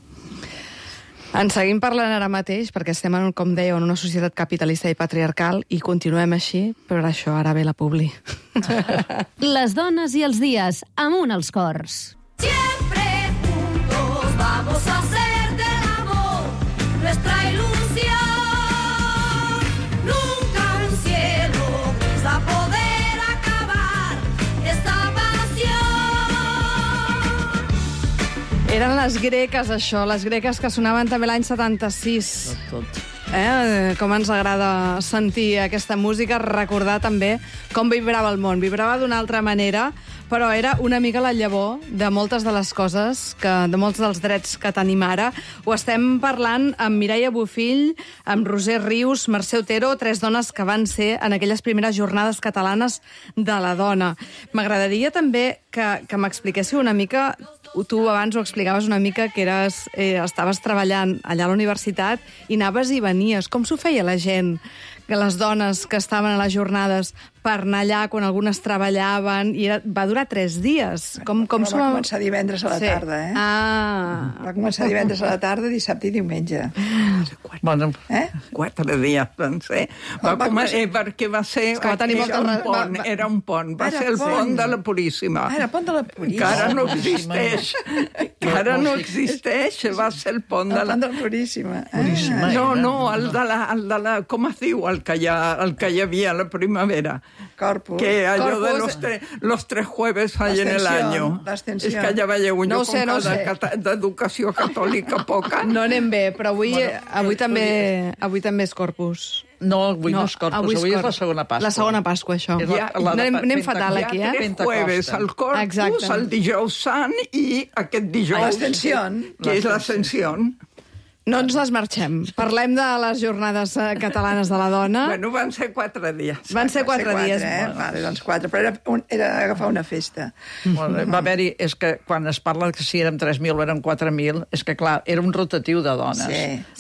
En seguim parlant ara mateix, perquè estem, com dèieu, en una societat capitalista i patriarcal i continuem així, però això ara ve la publi. Les dones i els dies, amunt els cors. Siempre juntos vamos a hacer del amor nuestra ilusión. Nunca un cielo gris va a poder acabar esta pasión. Eren les greques, això, les greques que sonaven també l'any 76. Tot. Com ens agrada sentir aquesta música, recordar també com vibrava el món. Vibrava d'una altra manera, però era una mica la llavor de moltes de les coses, de molts dels drets que tenim ara. Ho estem parlant amb Mireia Bofill, amb Roser Rius, Mercè Otero, 3 dones que van ser en aquelles primeres jornades catalanes de la dona. M'agradaria també que m'expliquéssiu una mica. Tu abans ho explicaves una mica, que estaves treballant allà a la universitat i anaves i venies. Com s'ho feia la gent que les dones que estaven a les jornades per anar allà quan algunes treballaven, i va durar 3 dies. Va començar divendres a la tarda, eh? Va començar divendres a la tarda, dissabte i diumenge. Bueno, 4 dies van ser. Perquè va ser... Era un pont. Va ser el pont de la Puríssima. Era el pont de la Puríssima. Que ara no existeix. Que ara no existeix. Va ser el pont de la Puríssima. No, el de la... Com es diu? El que hi havia a la primavera. Corpus. Que allò de los 3 jueves hay en el año. És que ja veieu, jo com d'educació catòlica poca. No anem bé, però avui també és Corpus. No, avui no és Corpus, avui és la segona Pasqua. La segona Pasqua, això. Anem fatal aquí, eh? 3 jueves, el Corpus, el dijous sant i aquest dijous... L'Ascensió. Que és l'Ascensió. No ens les marxem. Parlem de les jornades catalanes de la dona. Bueno, van ser 4 dies. Van ser 4 dies. Vale, doncs 4, però era agafar una festa. Va haver-hi, és que quan es parla que si érem 3.000 o érem 4.000, és que, clar, era un rotatiu de dones.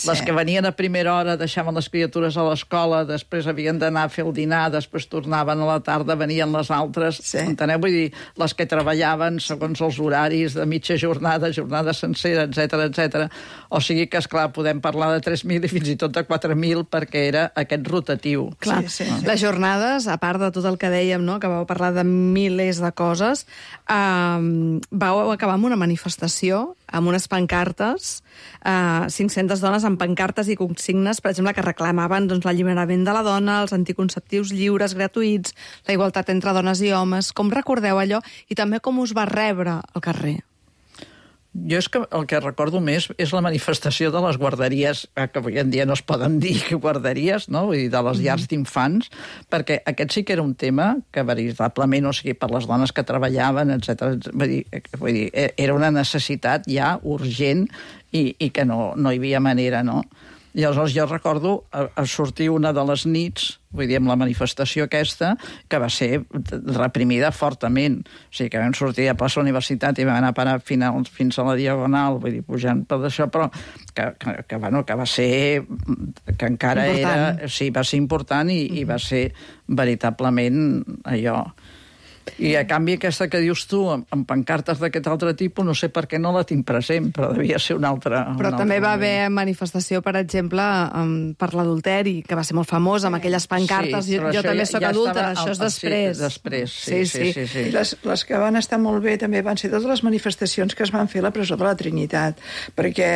Les que venien a primera hora deixaven les criatures a l'escola, després havien d'anar a fer el dinar, després tornaven a la tarda, venien les altres. Enteneu? Vull dir, les que treballaven segons els horaris de mitja jornada, jornada sencera, etc. O sigui que, esclar, podem parlar de 3.000 i fins i tot de 4.000 perquè era aquest rotatiu. Clar, les jornades, a part de tot el que dèiem, no?, que vau parlar de milers de coses, vau acabar amb una manifestació, amb unes pancartes, 500 dones amb pancartes i consignes, per exemple, que reclamaven l'alliberament de la dona, els anticonceptius lliures, gratuïts, la igualtat entre dones i homes. Com recordeu allò? I també com us va rebre al carrer? Jo és que el que recordo més és la manifestació de les guarderies, que avui en dia no es poden dir guarderies, no? Vull dir, de les llars d'infants, perquè aquest sí que era un tema que veritablement, o sigui, per les dones que treballaven, etc. Vull dir, era una necessitat ja urgent i que no hi havia manera, no? I aleshores jo recordo sortir una de les nits, vull dir, amb la manifestació aquesta, que va ser reprimida fortament. O sigui, que vam sortir a plaça Universitat i vam anar a parar fins a la Diagonal, vull dir, pujant per això, però que va ser... que encara important. Era... Sí, va ser important i va ser veritablement allò... I a canvi aquesta que dius tu, amb pancartes d'aquest altre tipus, no sé per què no la tinc present, però devia ser una altra... Però també va haver manifestació, per exemple, per l'adulteri, que va ser molt famós, amb aquelles pancartes. Sí, jo també soc adulta, això és després. Sí, després, sí. Les que van estar molt bé també van ser totes les manifestacions que es van fer a la presó de la Trinitat, perquè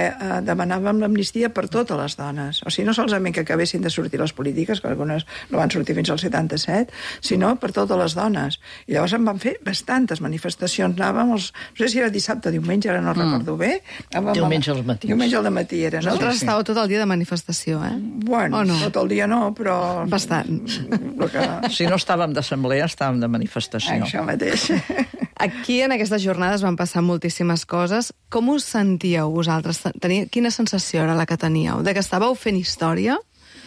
demanàvem l'amnistia per totes les dones. O sigui, no solament que acabessin de sortir les polítiques, que algunes no van sortir fins al 77, sinó per totes les dones. I llavors en van fer bastantes manifestacions. Anàvem no sé si era dissabte o diumenge, ara no recordo bé. Diumenge al matí. Diumenge al matí era, no? Vosaltres estàveu tot el dia de manifestació, eh? Bueno, tot el dia no, però... Bastant. Si no estàvem d'assemblea, estàvem de manifestació. Això mateix. Aquí, en aquestes jornades, van passar moltíssimes coses. Com us sentíeu vosaltres? Quina sensació era la que teníeu? De que estàveu fent història?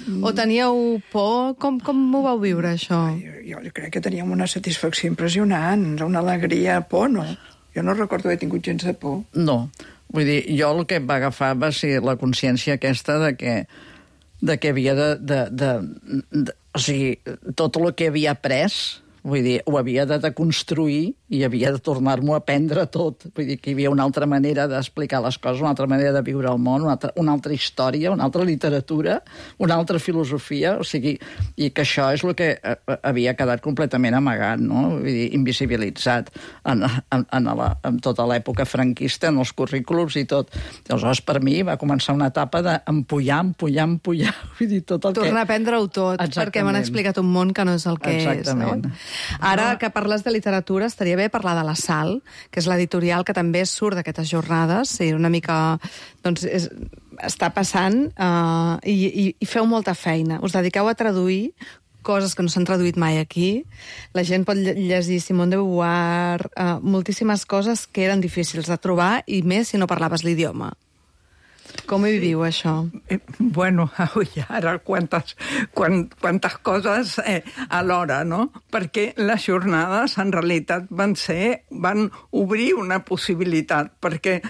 O teníeu por? Com ho vau viure, això? Jo crec que teníem una satisfacció impressionant, una alegria, por, no? Jo no recordo haver tingut gens de por. No. Vull dir, jo el que em va agafar va ser la consciència aquesta de que havia o sigui, tot el que havia après, vull dir, ho havia de deconstruir i havia de tornar-m'ho a aprendre tot. Vull dir que hi havia una altra manera d'explicar les coses, una altra manera de viure el món, una altra història, una altra literatura, una altra filosofia, o sigui, i que això és el que havia quedat completament amagat, no? Vull dir, invisibilitzat en tota l'època franquista, en els currículums i tot. Aleshores, per mi, va començar una etapa d'empullar, vull dir, tot el que... Tornar a aprendre-ho tot, perquè m'han explicat un món que no és el que és, no? Ara que parles de literatura, estaria bé parlar de La Sal, que és l'editorial que també surt d'aquestes jornades, i una mica, doncs, està passant, i feu molta feina. Us dediqueu a traduir coses que no s'han traduït mai aquí. La gent pot llegir Simone de Beauvoir, moltíssimes coses que eren difícils de trobar, i més si no parlaves l'idioma. Com hi viviu, això? Bueno, ara quantes coses alhora, no? Perquè les jornades, en realitat, van obrir una possibilitat, perquè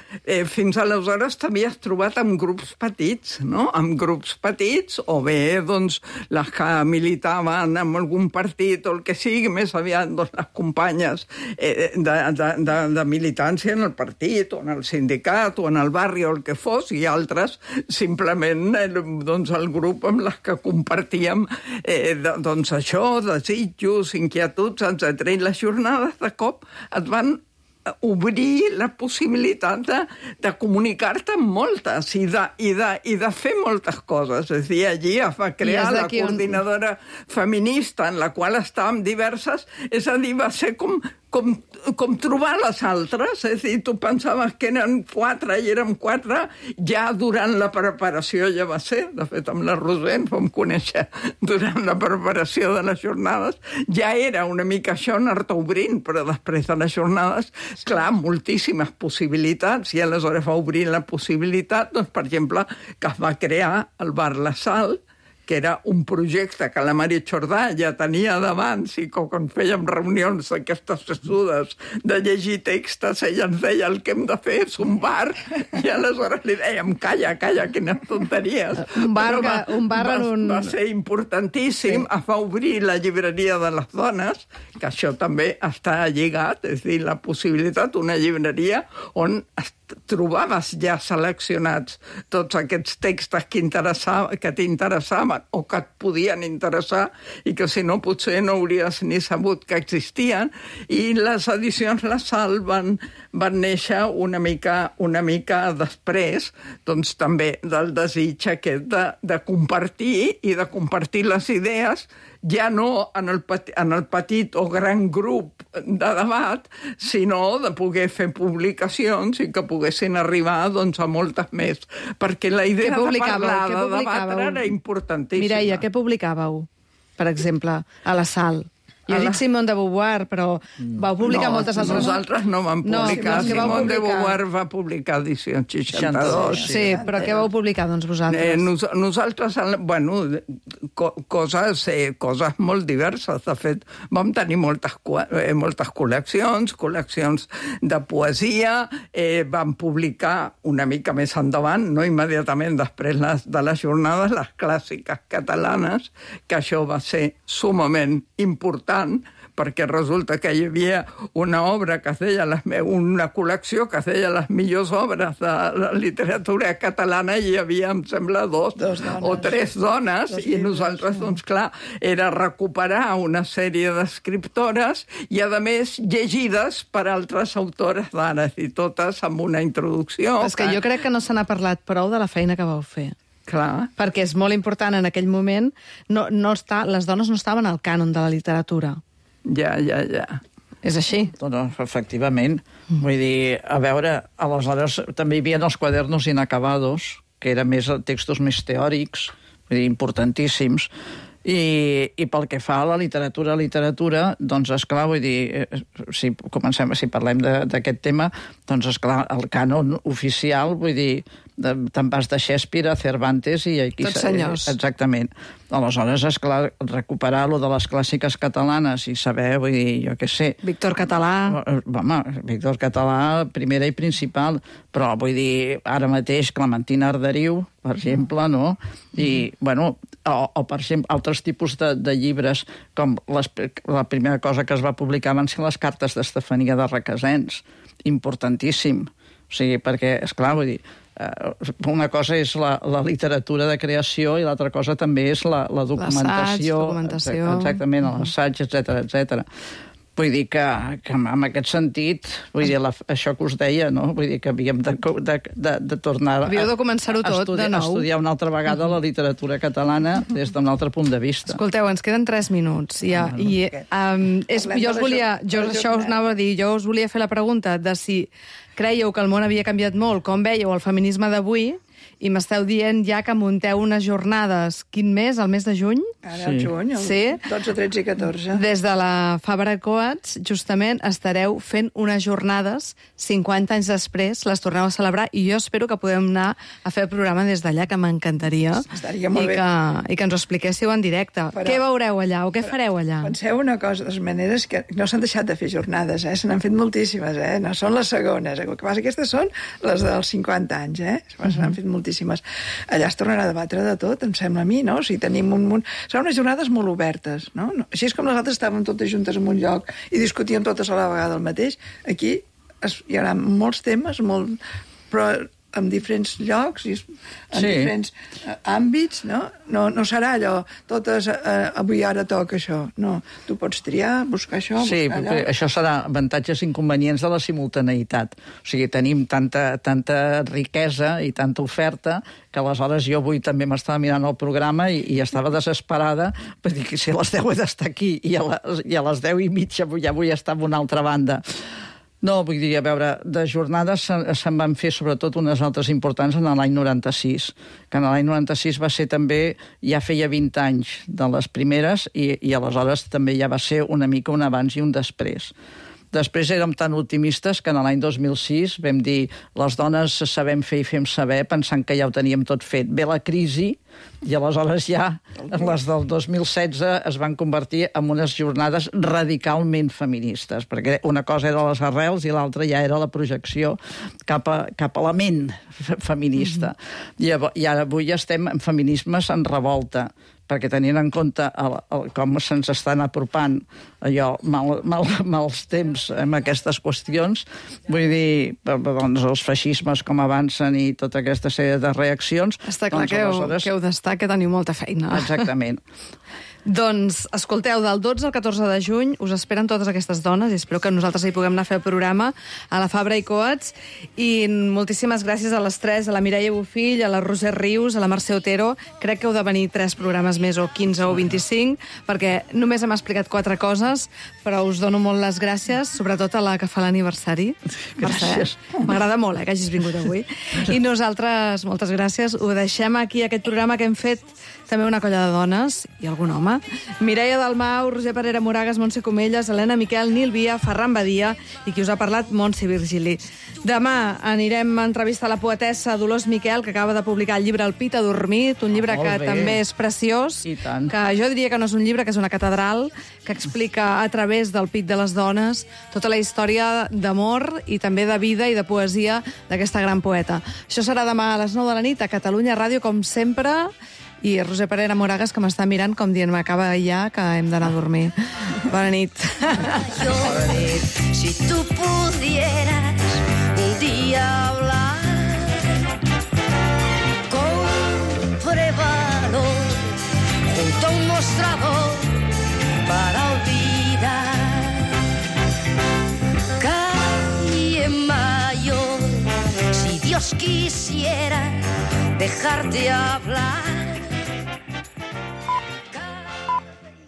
fins aleshores t'havies trobat amb grups petits, no? Amb grups petits, o bé, doncs, les que militaven en algun partit o el que sigui, més aviat, doncs, les companyes de militància en el partit, o en el sindicat, o en el barri, o el que fos, i altres, simplement, doncs, el grup amb les que compartíem, doncs, això, desitjos, inquietuds, etc. I les jornades, de cop, et van obrir la possibilitat de comunicar-te amb moltes i de fer moltes coses. És a dir, allí es va crear la coordinadora feminista, en la qual estàvem diverses, és a dir, va ser com trobar les altres, és a dir, tu pensaves que eren 4 i érem 4, ja durant la preparació ja va ser, de fet amb la Roser ens vam conèixer durant la preparació de les jornades, ja era una mica això anar-te obrint, però després de les jornades, clar, moltíssimes possibilitats, i aleshores va obrir la possibilitat, doncs, per exemple, que es va crear el Bar La Sal, que era un projecte que la Maria Jordà ja tenia d'abans i que quan fèiem reunions d'aquestes sessudes de llegir textos, ella ens deia el que hem de fer és un bar, i aleshores li dèiem calla, quines tonteries. Un bar va ser importantíssim, es va obrir la llibreria de les dones, que això també està lligat, és a dir, la possibilitat, una llibreria on trobaves ja seleccionats tots aquests textos que t'interessaven o que et podien interessar i que si no potser no hauries ni sabut que existien, i les edicions La Sal van néixer una mica després, doncs també del desig aquest de compartir i de compartir les idees, ja no en el petit o gran grup de debat, sinó de poder fer publicacions i que poguessin arribar, doncs, a moltes més. Perquè la idea de parlar, de debatre, era importantíssima. Mireia, què publicàveu, per exemple, a La Sal? Jo he dit Simone de Beauvoir, però vau publicar moltes altres... Nosaltres no vam publicar. Simone de Beauvoir va publicar edició 62. Sí, però què vau publicar, doncs, vosaltres? Nosaltres, bueno, coses molt diverses. De fet, vam tenir moltes col·leccions de poesia, vam publicar una mica més endavant, no immediatament després de les jornades, les clàssiques catalanes, que això va ser sumament important, perquè resulta que hi havia una obra que es deia, una col·lecció que es deia les millors obres de la literatura catalana, i hi havia, em sembla, dos o tres dones, i nosaltres, doncs clar, era recuperar una sèrie d'escriptores i, a més, llegides per altres autores d'ara, i totes amb una introducció. És que jo crec que no se n'ha parlat prou de la feina que vau fer. Clar. Perquè és molt important en aquell moment, les dones no estaven al cànon de la literatura. Ja. És així? Doncs, efectivament. Vull dir, a veure, aleshores també hi havia els quadernos inacabados, que eren textos més teòrics, vull dir, importantíssims, i pel que fa a la literatura, doncs, esclar, vull dir, si parlem d'aquest tema, doncs, esclar, el cànon oficial, vull dir, te'n vas de Shakespeare a Cervantes i aquí... Tots senyors. Exactament. Aleshores, esclar, recuperar lo de les clàssiques catalanes i saber, vull dir, jo què sé... Víctor Català... Home, Víctor Català, primera i principal, però vull dir, ara mateix Clementina Arderiu, per exemple, no? I, bueno, o per exemple, altres tipus de llibres, com la primera cosa que es va publicar van ser les cartes d'Estefania de Requesens, importantíssim. O sigui, perquè, esclar, vull dir, una cosa és la literatura de creació i l'altra cosa també és la documentació. Exactament, l'assaig, etc. Vull dir que en aquest sentit, vull dir, això que us deia, no? Vull dir que havíem de tornar Havíeu de començar-ho tot de nou. Estudiar una altra vegada la literatura catalana des d'un altre punt de vista. Escolteu, ens queden 3 minuts. Jo us anava a dir, jo us volia fer la pregunta de si creieu que el món havia canviat molt, com veieu el feminisme d'avui, i m'esteu dient ja que munteu unes jornades. Quin mes? El mes de juny? Ara, el juny, el 12, 13 i 14. Des de la Fabra Coats, justament, estareu fent unes jornades 50 anys després, les torneu a celebrar, i jo espero que podem anar a fer el programa des d'allà, que m'encantaria. Estaria molt bé. I que ens ho expliquéssiu en directe. Però, què veureu allà o què fareu allà? Penseu una cosa, de les maneres que no s'han deixat de fer jornades, se n'han fet moltíssimes, no són les segones. El que passa, aquestes són les dels 50 anys, se n'han fet moltíssimes. Allà es tornarà a debatre de tot, em sembla a mi, no? Si tenim un munt... Seran unes jornades molt obertes, no? Així és com nosaltres estàvem totes juntes en un lloc i discutíem totes a la vegada el mateix. Aquí hi haurà molts temes, però en diferents llocs i en diferents àmbits, no? No serà allò, totes, avui ara toca això. No, tu pots triar, buscar això, sí, buscar allò. Això serà avantatges i inconvenients de la simultaneïtat. O sigui, tenim tanta riquesa i tanta oferta que aleshores jo avui també m'estava mirant el programa i estava desesperada per dir que si a les 10 he d'estar aquí i a les 10 i mitja ja vull estar a una altra banda. No, vull dir, a veure, de jornades se'n van fer sobretot unes altres importants en l'any 96, que en l'any 96 va ser també, ja feia 20 anys de les primeres i aleshores també ja va ser una mica un abans i un després. Després érem tan optimistes que en l'any 2006 vam dir les dones sabem fer i fem saber, pensant que ja ho teníem tot fet. Ve la crisi i aleshores ja les del 2016 es van convertir en unes jornades radicalment feministes, perquè una cosa era les arrels i l'altra ja era la projecció cap a la ment feminista. I ara avui estem en feminismes en revolta, perquè tenint en compte com se'ns estan apropant allò, mals temps amb aquestes qüestions, vull dir, doncs els feixismes com avancen i tota aquesta sèrie de reaccions... Està clar que heu d'estar, que teniu molta feina. Exactament. Doncs, escolteu, del 12 al 14 de juny us esperen totes aquestes dones i espero que nosaltres hi puguem anar a fer el programa a la Fabra i Coats, i moltíssimes gràcies a les tres, a la Mireia Bofill, a la Roser Rius, a la Mercè Otero. Crec que heu de venir 3 programes més, o 15 o 25, perquè només hem explicat 4 coses, però us dono molt les gràcies, sobretot a la que fa l'aniversari. Gràcies. M'agrada molt que hagis vingut avui. I nosaltres, moltes gràcies, ho deixem aquí, aquest programa que hem fet també una colla de dones i algun home. Mireia Dalmau, Roger Parera Moragas, Montse Comelles, Helena Miquel, Nil Via, Ferran Badia i qui us ha parlat, Montse Virgili. Demà anirem a entrevistar la poetessa Dolors Miquel, que acaba de publicar el llibre El pit adormit, un llibre que també és preciós, que jo diria que no és un llibre, que és una catedral, que explica a través del pit de les dones tota la història d'amor i també de vida i de poesia d'aquesta gran poeta. Això serà demà a les 9 de la nit a Catalunya Ràdio, com sempre, i Roser Parera Moragas, que m'està mirant com dient m'acaba ja, que hem d'anar a dormir. Bona nit. Bona nit. Si tu pudieras un día hablar, compruébalo junto a un mostrador para olvidar. Calle Mayor, si Dios quisiera dejarte hablar,